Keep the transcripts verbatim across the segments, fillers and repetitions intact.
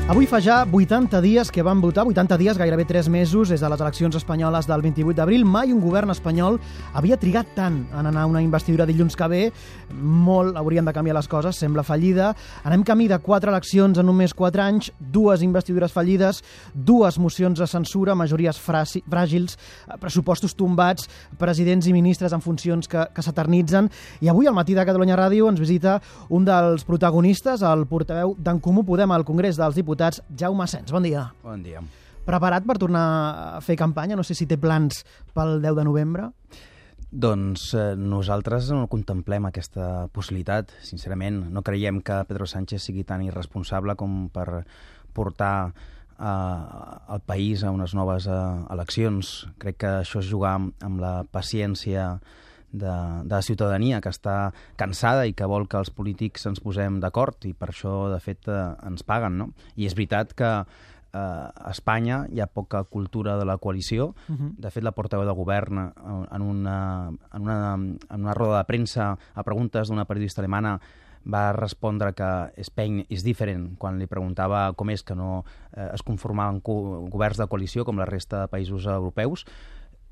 Avui fa ja vuitanta dies que van votar, vuitanta dies, gairebé tres mesos, des de les eleccions espanyoles del vint-i-vuit d'abril. Mai un govern espanyol havia trigat tant en anar a una investidura dilluns que ve. Molt haurien de canviar les coses, sembla fallida. Anem camí de quatre eleccions en només quatre anys, dues investidures fallides, dues mocions de censura, majories fràgils, pressupostos tombats, presidents i ministres en funcions que, que s'eternitzen. I avui, al matí de Catalunya Ràdio, ens visita un dels protagonistes, el portaveu d'En Comú Podem al Congrés dels Diputats, Jaume Asens. Bon dia. Bon dia. Preparat per tornar a fer campanya? No sé si té plans pel deu de novembre. Doncs eh, nosaltres no contemplem aquesta possibilitat, sincerament. No creiem que Pedro Sánchez sigui tan irresponsable com per portar eh, el país a unes noves eh, eleccions. Crec que això és jugar amb, amb la paciència de, de la ciutadania, que està cansada i que vol que els polítics ens posem d'acord, i per això, de fet, eh, ens paguen, no? I és veritat que eh, a Espanya hi ha poca cultura de la coalició. Uh-huh. De fet, la portaveu de govern, en una, en una, en una roda de premsa a preguntes d'una periodista alemana, va respondre que Spain is different, quan li preguntava com és que no eh, es conformaven governs de coalició com la resta de països europeus.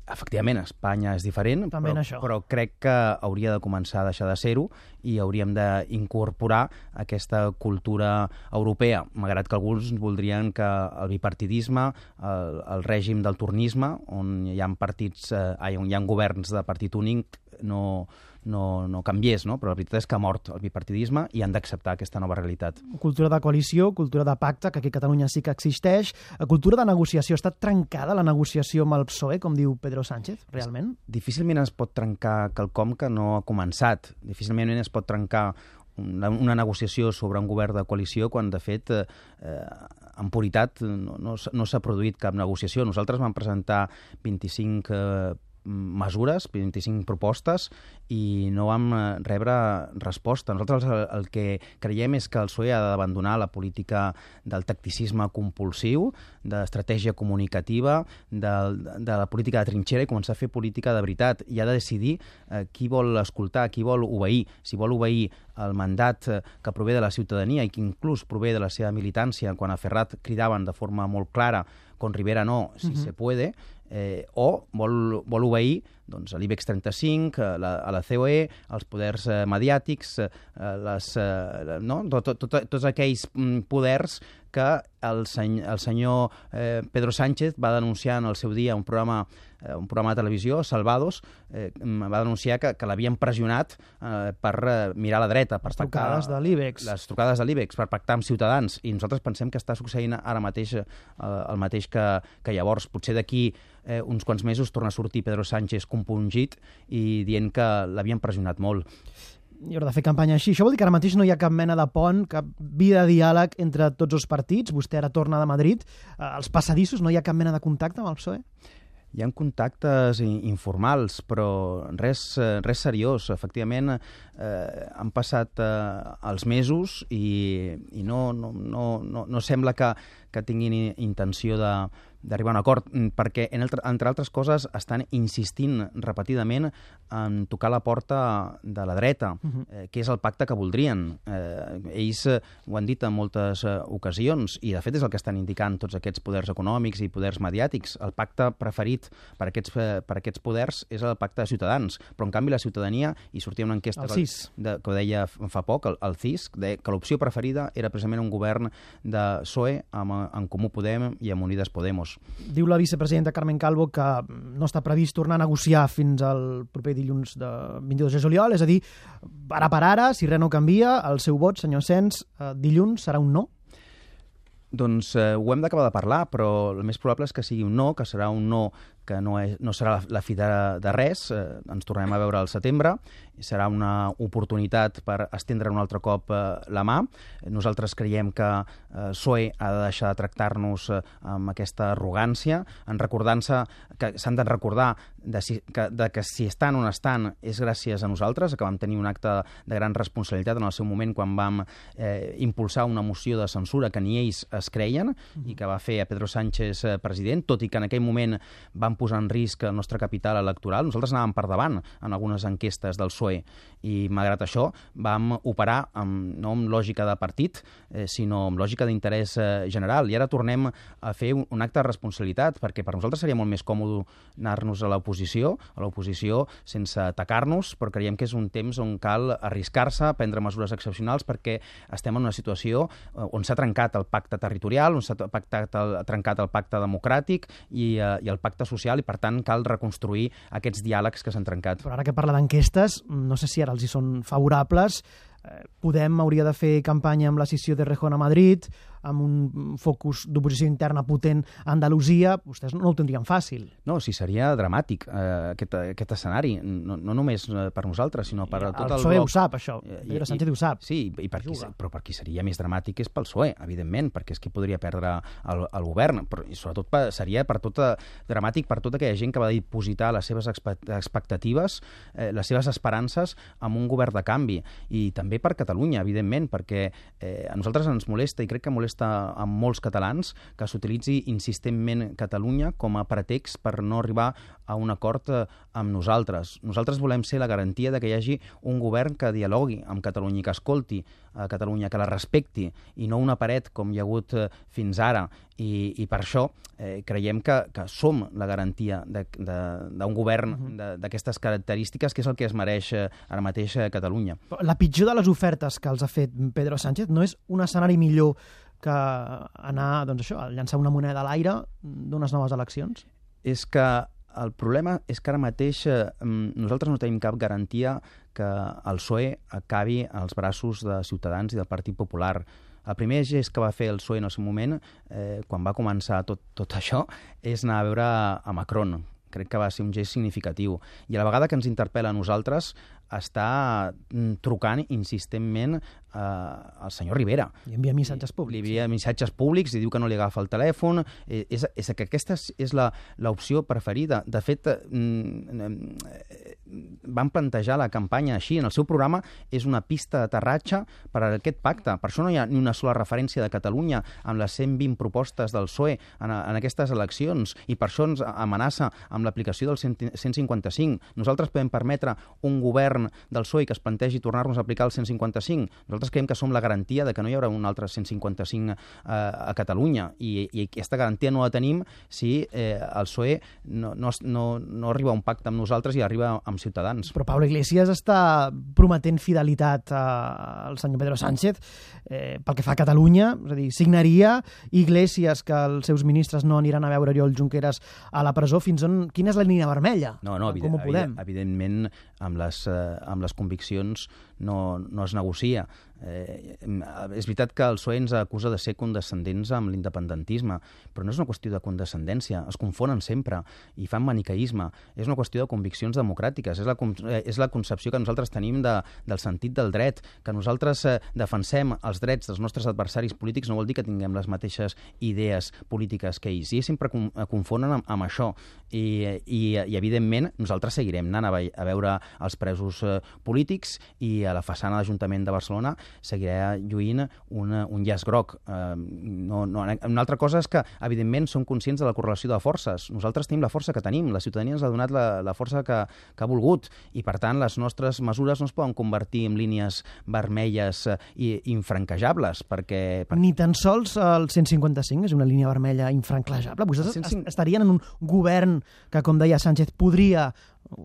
Efectivament, Espanya és diferent, però, però crec que hauria de començar a deixar de ser-ho i hauríem d'incorporar aquesta cultura europea, malgrat que alguns voldrien que el bipartidisme, el, el règim del tornisme, on hi ha partits, eh, on hi ha governs de partit únic, no, no, no canviés, no? Però la veritat és que ha mort el bipartidisme i han d'acceptar aquesta nova realitat. Cultura de coalició, cultura de pacte, que aquí a Catalunya sí que existeix, cultura de negociació. Està trencada la negociació amb el P S O E, com diu Pedro Sánchez, realment? Difícilment es pot trencar quelcom que no ha començat. Difícilment es pot trencar una, una negociació sobre un govern de coalició quan, de fet, eh, en puritat no, no, no s'ha produït cap negociació. Nosaltres vam presentar vint-i-cinc eh, mesures, vint-i-cinc propostes, i no vam rebre resposta. Nosaltres el, el que creiem és que el P S O E ha d'abandonar la política del tacticisme compulsiu, d'estratègia comunicativa, de, de la política de trinxera, i començar a fer política de veritat. I ha de decidir eh, qui vol escoltar, qui vol obeir. Si vol obeir el mandat que prové de la ciutadania i que inclús prové de la seva militància, quan a Ferrat cridaven de forma molt clara, con Rivera no, si uh-huh. se puede, eh, o vol, vol obeir doncs, a l'IBEX trenta-cinc, a la, a la C O E, als poders eh, mediàtics, eh, les, eh, no? tot, tot, tot, tots aquells poders que el, seny, el senyor eh, Pedro Sánchez va denunciar en el seu dia un programa, eh, un programa de televisió, Salvados, eh, va denunciar que, que l'havien pressionat eh, per eh, mirar a la dreta. Per les trucades de l'IBEX. Les trucades de l'IBEX, per pactar amb Ciutadans. I nosaltres pensem que està succeint ara mateix eh, el mateix que, que llavors. Potser d'aquí eh, uns quants mesos torna a sortir Pedro Sánchez compungit i dient que l'havien pressionat molt. I haurà de fer campanya així. Això vol dir que ara mateix no hi ha cap mena de pont, cap via de diàleg entre tots els partits. Vostè ara torna de Madrid. Els passadissos, no hi ha cap mena de contacte amb el P S O E? Hi ha contactes informals, però res, res seriós. Efectivament, eh, han passat eh, els mesos i, i no, no, no, no, no sembla que, que tinguin intenció de d'arribar a un acord, perquè, entre altres coses, estan insistint repetidament en tocar la porta de la dreta, uh-huh. eh, que és el pacte que voldrien. Eh, ells eh, ho han dit en moltes eh, ocasions, i de fet és el que estan indicant tots aquests poders econòmics i poders mediàtics. El pacte preferit per aquests, eh, per aquests poders és el pacte de Ciutadans, però en canvi la ciutadania, i sortia una enquesta que, de, que ho deia fa poc, el, el C I S, deia que l'opció preferida era precisament un govern de P S O E amb En Comú Podem i amb Unides Podemos. Diu la vicepresidenta Carmen Calvo que no està previst tornar a negociar fins al proper dilluns de vint-i-dos de juliol, és a dir, ara per ara, si res no canvia, el seu vot, senyor Asens, dilluns serà un no? Doncs eh, ho hem d'acabar de parlar, però el més probable és que sigui un no, que serà un no que no, és, no serà la, la fi de, de res. Eh, ens tornem a veure al setembre, i serà una oportunitat per estendre un altre cop eh, la mà. Nosaltres creiem que eh, el P S O E ha de deixar de tractar-nos eh, amb aquesta arrogància, en recordant-se que s'han de recordar de, si, que, de que si estan on estan és gràcies a nosaltres, que vam tenir un acte de gran responsabilitat en el seu moment quan vam eh, impulsar una moció de censura que ni ells es creien, mm-hmm. i que va fer a Pedro Sánchez eh, president, tot i que en aquell moment vam van posar en risc el nostre capital electoral. Nosaltres anàvem per davant en algunes enquestes del P S O E i, malgrat això, vam operar amb, no amb lògica de partit, eh, sinó amb lògica d'interès eh, general. I ara tornem a fer un, un acte de responsabilitat, perquè per nosaltres seria molt més còmode anar-nos a l'oposició, a l'oposició sense atacar-nos, però creiem que és un temps on cal arriscar-se, prendre mesures excepcionals, perquè estem en una situació on s'ha trencat el pacte territorial, on s'ha pactat el, trencat el pacte democràtic i, eh, i el pacte social, i per tant cal reconstruir aquests diàlegs que s'han trencat. Però ara que parla d'enquestes, no sé si ara els hi són favorables. Podem hauria de fer campanya amb la scissió de Rejón a Madrid, amb un focus d'oposició interna potent a Andalusia. Vostès no ho tindrien fàcil. No, sí, seria dramàtic eh, aquest, aquest escenari, no, no només per nosaltres, sinó per I tot el, el P S O E bloc. ho sap, això. Pedro Sánchez ho sap. Sí, i per qui, però per qui seria més dramàtic és pel P S O E, evidentment, perquè és qui podria perdre el, el govern, però i sobretot per, seria per tota, dramàtic per tota aquella gent que va dipositar les seves expectatives, eh, les seves esperances en un govern de canvi, i també per Catalunya, evidentment, perquè eh, a nosaltres ens molesta, i crec que molesta a molts catalans, que s'utilitzi insistentment Catalunya com a pretext per no arribar a un acord amb nosaltres. Nosaltres volem ser la garantia de que hi hagi un govern que dialogui amb Catalunya, que escolti a Catalunya, que la respecti, i no una paret com hi ha hagut fins ara. I, i per això eh, creiem que, que som la garantia d'un govern d'aquestes característiques, que és el que es mereix ara mateix a Catalunya. La pitjor de les ofertes que els ha fet Pedro Sánchez no és un escenari millor que anar, doncs això, a llançar una moneda a l'aire d'unes noves eleccions? És que el problema és que ara mateix eh, nosaltres no tenim cap garantia que el P S O E acabi als braços de Ciutadans i del Partit Popular. El primer gest que va fer el P S O E en el seu moment, eh, quan va començar tot, tot això, és anar a veure a Macron. Crec que va ser un gest significatiu. I a la vegada que ens interpel·la a nosaltres, està trucant insistentment eh, al senyor Rivera. I envia missatges públics. Li envia missatges públics i diu que no li agafa el telèfon. Eh, és, és que aquesta és l'opció preferida. De fet, eh, van plantejar la campanya així. En el seu programa és una pista d'aterratge per a aquest pacte. Per això no hi ha ni una sola referència de Catalunya amb les cent vint propostes del P S O E en, en aquestes eleccions, i per això ens amenaça amb l'aplicació del cent cinquanta-cinc. Nosaltres podem permetre un govern del P S O E que es plantegi tornar-nos a aplicar el cent cinquanta-cinc. Nosaltres creiem que som la garantia de que no hi haurà un altre cent cinquanta-cinc eh, a Catalunya, i, i aquesta garantia no la tenim si eh, el P S O E no, no, no, no arriba a un pacte amb nosaltres i arriba amb Ciutadans. Però Pablo Iglesias està prometent fidelitat al senyor Pedro Sánchez eh, pel que fa a Catalunya, és a dir, signaria Iglesias que els seus ministres no aniran a veure Oriol Junqueras a la presó. Fins on, quina és la línia vermella? No, no, Com ho podem? Evidentment, amb les, eh, amb les conviccions no, no es negocia. Eh, és veritat que el P S O E ens acusa de ser condescendents amb l'independentisme, però no és una qüestió de condescendència, es confonen sempre i fan maniqueisme. És una qüestió de conviccions democràtiques, és la, és la concepció que nosaltres tenim de, del sentit del dret, que nosaltres eh, defensem els drets dels nostres adversaris polítics no vol dir que tinguem les mateixes idees polítiques que ells, i sempre confonen amb, amb això. I, i, i evidentment nosaltres seguirem anant a, a veure els presos eh, polítics, i a la façana de l'Ajuntament de Barcelona seguirà lluint un, un llaç groc. Eh, no, no, una altra cosa és que, evidentment, som conscients de la correlació de forces. Nosaltres tenim la força que tenim, la ciutadania ens ha donat la, la força que, que ha volgut, i, per tant, les nostres mesures no es poden convertir en línies vermelles i infranquejables, perquè... perquè... Ni tan sols el cent cinquanta-cinc és una línia vermella infranquejable. Vostès cent cinquanta... estarien en un govern que, com deia Sánchez, podria,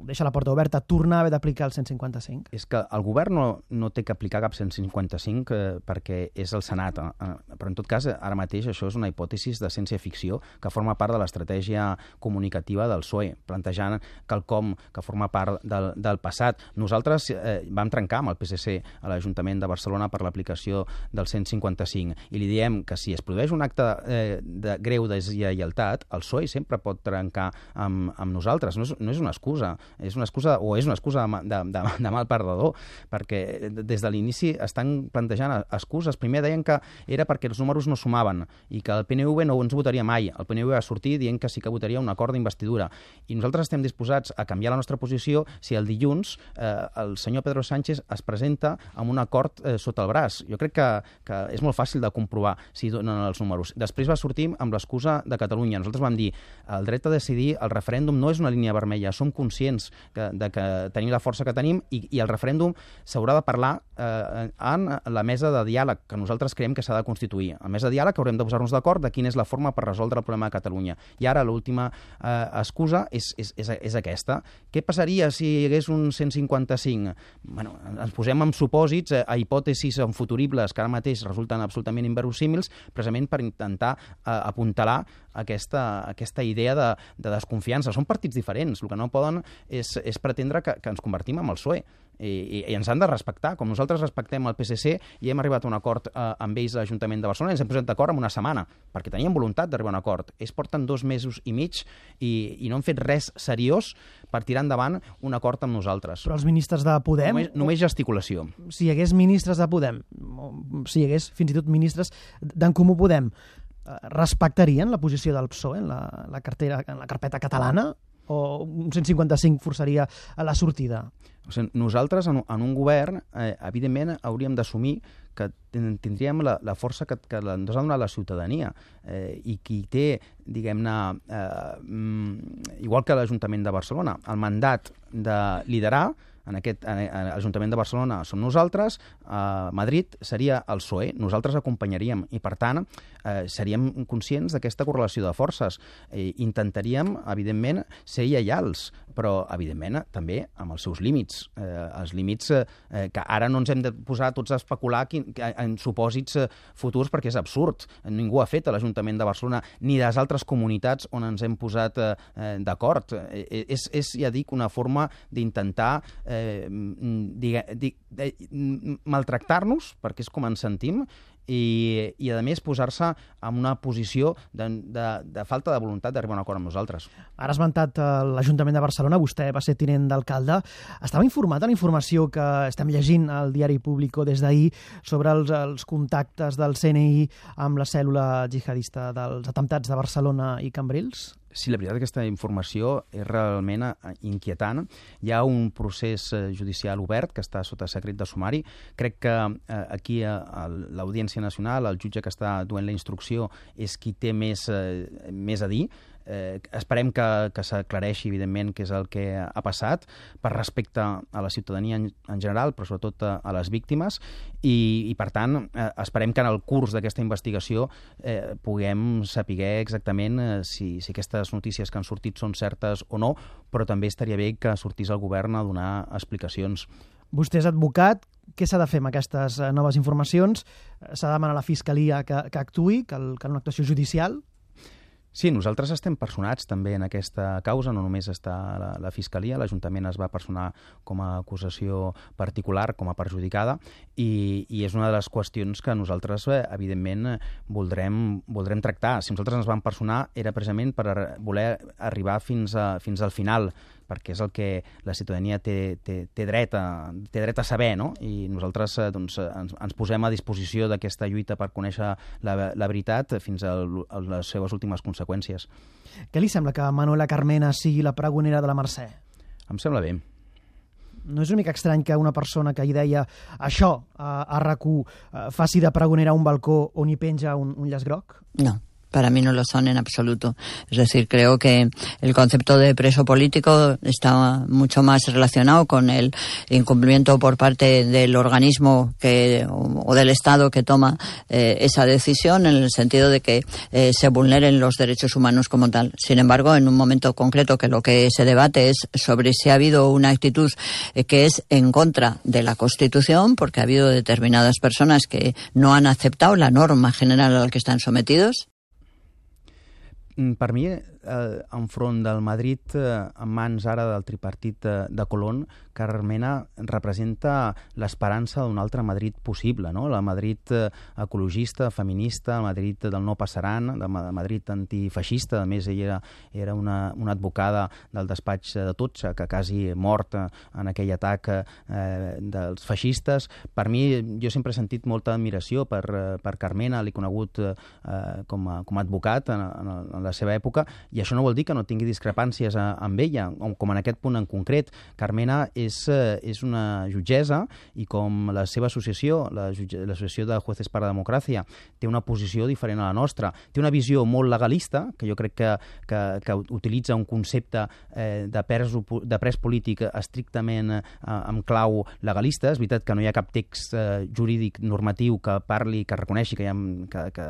deixa la porta oberta, tornar a haver d'aplicar el cent cinquanta-cinc? És que el govern no, no té que aplicar cap cent cinquanta-cinc eh, perquè és el Senat. Eh, però, en tot cas, ara mateix això és una hipòtesi de ciència-ficció que forma part de l'estratègia comunicativa del P S O E, plantejant quelcom que forma part del, del passat. Nosaltres eh, vam trencar amb el P S C a l'Ajuntament de Barcelona per l'aplicació del cent cinquanta-cinc, i li diem que si es produeix un acte eh, de greu deslleialtat, el P S O E sempre pot trencar amb, amb nosaltres. No és, no és una excusa. excusa, és una excusa o és una excusa de, de, de mal perdedor, perquè des de l'inici estan plantejant excuses. Primer deien que era perquè els números no sumaven i que el P N V no ens votaria mai. El P N V va sortir dient que sí que votaria un acord d'investidura. I nosaltres estem disposats a canviar la nostra posició si el dilluns eh, el senyor Pedro Sánchez es presenta amb un acord eh, sota el braç. Jo crec que, que és molt fàcil de comprovar si donen els números. Després va sortir amb l'excusa de Catalunya. Nosaltres vam dir el dret a decidir, el referèndum no és una línia vermella. Som conscients que, de que tenim la força que tenim i, i el referèndum s'haurà de parlar eh, en la mesa de diàleg que nosaltres creiem que s'ha de constituir. A mesa de diàleg haurem de posar-nos d'acord de quina és la forma per resoldre el problema de Catalunya. I ara l'última eh, excusa és, és, és, és aquesta. Què passaria si hi hagués un cent cinquanta-cinc? Bueno, ens posem en supòsits, a hipòtesis futuribles que ara mateix resulten absolutament inverosímils, precisament per intentar eh, apuntalar aquesta, aquesta idea de, de desconfiança. Són partits diferents. El que no poden és, és pretendre que, que ens convertim en el P S O E. I, i, i ens han de respectar. Com nosaltres respectem el P S C i hem arribat a un acord eh, amb ells a l'Ajuntament de Barcelona, ens hem posat d'acord en una setmana, perquè teníem voluntat d'arribar a un acord. Ells porten dos mesos i mig i, i no han fet res seriós per tirar endavant un acord amb nosaltres. Però els ministres de Podem... Només, només gesticulació. Si hi hagués ministres de Podem, si hi hagués fins i tot ministres d'en Comú Podem, respectarien la posició del P S O E en la, la, cartera, en la carpeta catalana? O un cent cinquanta-cinc forçaria a la sortida? O sigui, nosaltres, en, en un govern, eh, evidentment, hauríem d'assumir que tindríem la, la força que, que ens ha donat la ciutadania. Eh, I qui té, diguem-ne, eh, igual que l'Ajuntament de Barcelona, el mandat de liderar, en aquest en, en l'Ajuntament de Barcelona som nosaltres, a Madrid seria el P S O E, nosaltres acompanyaríem i, per tant, eh, seríem conscients d'aquesta correlació de forces. Eh, intentaríem, evidentment, ser lleials, però, evidentment, també amb els seus límits. Eh, els límits eh, que ara no ens hem de posar tots a especular quin, en supòsits eh, futurs, perquè és absurd. Ningú ha fet a l'Ajuntament de Barcelona ni de les altres comunitats on ens hem posat eh, d'acord. Eh, és, és, ja dic, una forma d'intentar eh, digue, digue, maltractar-nos, perquè és com ens sentim, i, i a més posar-se en una posició de, de, de falta de voluntat d'arribar a un acord amb nosaltres. Ara has esmentat l'Ajuntament de Barcelona, vostè va ser tinent d'alcalde. Estava informat de la informació que estem llegint al diari Público des d'ahir sobre els, els contactes del C N I amb la cèl·lula jihadista dels atemptats de Barcelona i Cambrils? Sí, la veritat és que aquesta informació és realment inquietant. Hi ha un procés judicial obert que està sota secret de sumari. Crec que eh, aquí a, a l'Audiència Nacional, el jutge que està duent la instrucció, és qui té més, eh, més a dir. Eh, esperem que, que s'aclareixi, evidentment, què és el que ha passat per respecte a la ciutadania en, en general, però sobretot a, a les víctimes, i, i per tant, eh, esperem que en el curs d'aquesta investigació eh, puguem saber exactament eh, si, si aquestes notícies que han sortit són certes o no, però també estaria bé que sortís el govern a donar explicacions. Vostè és advocat. Què s'ha de fer amb aquestes noves informacions? S'ha de demanar a la Fiscalia que, que actuï, que, el, que una actuació judicial? Sí, nosaltres estem personats també en aquesta causa, no només està la, la Fiscalia, l'Ajuntament es va personar com a acusació particular, com a perjudicada, i, i és una de les qüestions que nosaltres, eh, evidentment, voldrem, voldrem tractar. Si nosaltres ens vam personar era precisament per voler arribar fins, a, fins al final, perquè és el que la ciutadania té, té, té, dret, a, té dret a saber, no? I nosaltres eh, doncs, ens, ens posem a disposició d'aquesta lluita per conèixer la, la veritat fins a, a les seves últimes conseqüències. Què li sembla que Manuela Carmena sigui la pregonera de la Mercè? Em sembla bé. No és una mica estrany que una persona que hi deia això a, a R A C u faci de pregonera a un balcó on hi penja un, un llaç groc? No. Para mí no lo son en absoluto. Es decir, creo que el concepto de preso político está mucho más relacionado con el incumplimiento por parte del organismo que, o del Estado que toma eh, esa decisión, en el sentido de que eh, se vulneren los derechos humanos como tal. Sin embargo, en un momento concreto que lo que se debate es sobre si ha habido una actitud eh, que es en contra de la Constitución, porque ha habido determinadas personas que no han aceptado la norma general a la que están sometidos. Per mi, eh, enfront del Madrid eh, en mans ara del tripartit de, de Colón, Carmena representa l'esperança d'un altre Madrid possible, no? La Madrid eh, ecologista, feminista, el Madrid del no passaran, de Madrid antifeixista. A més, ella era, era una, una advocada del despatx de Totxa, que quasi mort en aquell atac eh, dels feixistes. Per mi, jo sempre he sentit molta admiració per, per Carmena, l'he conegut eh, com, a, com a advocat en, en, en la seva època, i això no vol dir que no tingui discrepàncies a, amb ella, com en aquest punt en concret. Carmena és, és una jutgessa i com la seva associació, l'Associació de Jueces per la Democràcia, té una posició diferent a la nostra. Té una visió molt legalista, que jo crec que, que, que utilitza un concepte eh, de, pres, de pres polític estrictament eh, amb clau legalista. És veritat que no hi ha cap text eh, jurídic normatiu que parli, que reconeixi, que, ha, que, que,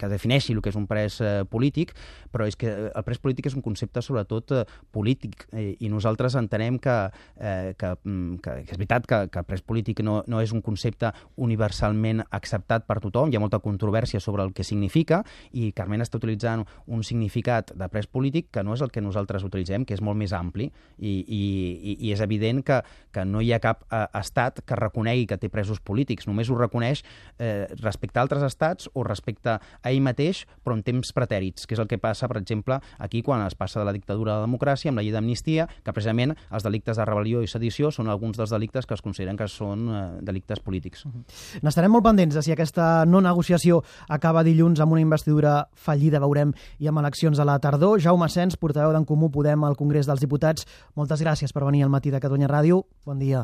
que defineixi el que és un pres eh, polític, però és que el pres polític és un concepte sobretot eh, polític, eh, i nosaltres entenem que, eh, que, que, que és veritat que, que pres polític no, no és un concepte universalment acceptat per tothom, hi ha molta controvèrsia sobre el que significa, i Carmena està utilitzant un significat de pres polític que no és el que nosaltres utilitzem, que és molt més ampli, i, i, i és evident que, que no hi ha cap eh, estat que reconegui que té presos polítics, només ho reconeix eh, respecte a altres estats o respecte a ell mateix, però en temps pretèrits, que és el que passa, per exemple, aquí quan es passa de la dictadura a la democràcia, amb la llei d'amnistia, que precisament els delictes de rebel·lió i sedició són alguns dels delictes que es consideren que són eh, delictes polítics. Uh-huh. N'estarem molt pendents de si aquesta no negociació acaba dilluns amb una investidura fallida, veurem, i amb eleccions a la tardor. Jaume Sens, portaveu d'En Comú Podem al Congrés dels Diputats, moltes gràcies per venir al matí de Catalunya Ràdio. Bon dia.